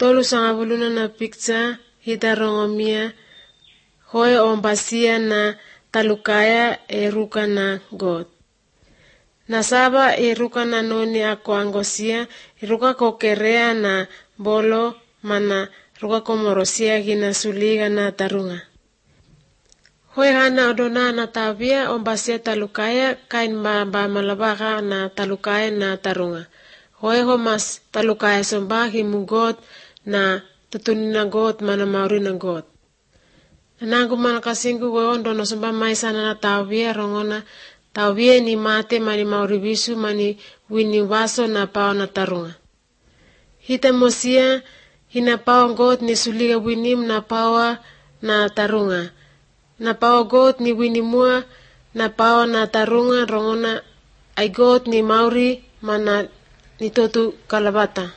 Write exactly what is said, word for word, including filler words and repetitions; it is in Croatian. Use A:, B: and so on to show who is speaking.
A: Tolu sangabuluna na picture hita rongomia hoe ombasia na talukaya e ruka na God. Nasaba e ruka na noni ako angosia e ruka ko kerea na bolo mana ruka ko morosia gina suliga na tarunga. Hoe hana odona na tabia ombasia talukaya kain ba ba malabaka na talukaya na tarunga. Hoe homas talukaya somba himu God na tutuni na God mana mauri na God. Nangu mana kasingku go ondo somba mai sana na tabia rongona tabia ni mate mani mauri bisu mani wini waso na pao na tarunga. Hita mosia hina pao God ni suliga winim na pao na tarunga. Na pao God ni wini mua na pao na tarunga rongona ay God ni mauri mana ni totu kalabata.